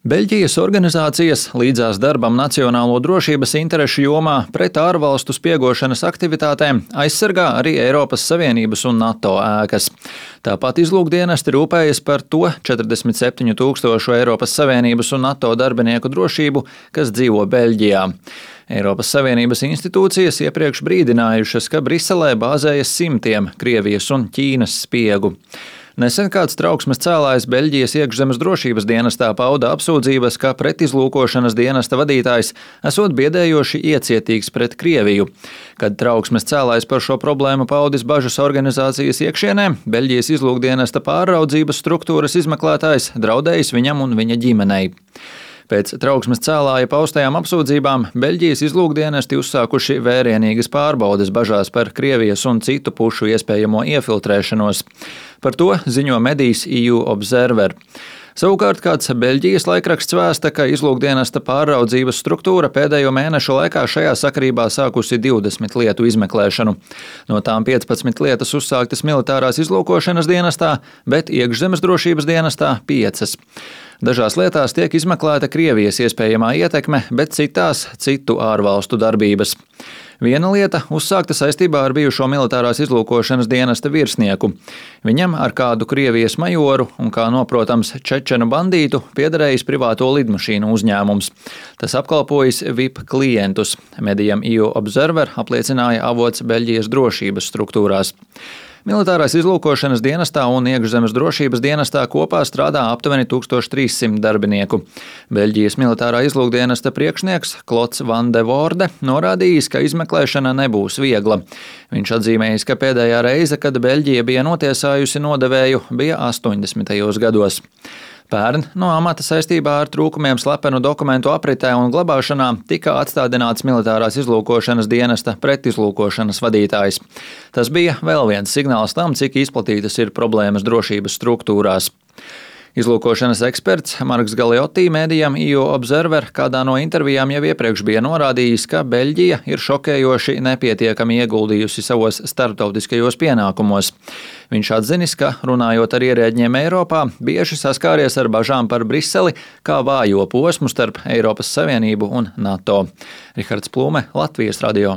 Beļģijas organizācijas līdzās darbam nacionālo drošības interešu jomā pret ārvalstu spiegošanas aktivitātēm aizsargā arī Eiropas Savienības un NATO ēkas. Tāpat izlūkdienesti rūpējas par to 47 000 Eiropas Savienības un NATO darbinieku drošību, kas dzīvo Beļģijā. Eiropas Savienības institūcijas iepriekš brīdinājušas, ka Briselē bāzējas simtiem Krievijas un Ķīnas spiegu. Nesen kāds trauksmes cēlājs Beļģijas iekšzemes drošības dienestā pauda apsūdzības, ka pretizlūkošanas dienesta vadītājs esot biedējoši iecietīgs pret Krieviju. Kad trauksmes cēlājs par šo problēmu paudis bažas organizācijas iekšienē, Beļģijas izlūkdienesta pārraudzības struktūras izmeklētājs draudējis viņam un viņa ģimenei. Pēc trauksmes cēlāja paustajām apsūdzībām Beļģijas izlūkdienesti uzsākuši vērienīgas pārbaudes bažās par Krievijas un citu pušu iespējamo iefiltrēšanos. Par to ziņo medijs EU Observer. Savukārt kāds Beļģijas laikraksts vēsta, ka izlūkdienesta pārraudzības struktūra pēdējo mēnešu laikā šajā sakarībā sākusi 20 lietu izmeklēšanu. No tām 15 lietas uzsāktas militārās izlūkošanas dienestā, bet iekšzemes drošības dienestā 5. Dažās lietās tiek izmeklēta Krievijas iespējamā ietekme, bet citās citu ārvalstu darbības. Viena lieta uzsākta saistībā ar bijušo militārās izlūkošanas dienesta virsnieku. Viņam ar kādu Krievijas majoru un, kā noprotams, čečenu bandītu piederējis privāto lidmašīnu uzņēmums. Tas apkalpojis VIP klientus. Medijam EU Observer apliecināja avots Beļģijas drošības struktūrās. Militārās izlūkošanas dienestā un iekšzemes drošības dienestā kopā strādā aptuveni 1300 darbinieku. Beļģijas militārā izlūkdienesta priekšnieks Klods Van de Voorde norādījis, ka izmeklēšana nebūs viegla. Viņš atzīmējis, ka pēdējā reize, kad Beļģija bija notiesājusi nodevēju, bija 80. gados. Pērn no amata saistībā ar trūkumiem slepenu dokumentu apritē un glabāšanā tika atstādināts militārās izlūkošanas dienesta pretizlūkošanas vadītājs. Tas bija vēl viens signāls tam, cik izplatītas ir problēmas drošības struktūrās. Izlūkošanas eksperts Marks Galeotti mēdījam EU Observer kādā no intervijām jau iepriekš bija norādījis, ka Beļģija ir šokējoši nepietiekami ieguldījusi savos starptautiskajos pienākumos. Viņš atzinis, ka, runājot ar ierēģiem Eiropā, bieži saskāries ar bažām par Briseli kā vājo posmu starp Eiropas Savienību un NATO. Rihards Plūme, Latvijas radio.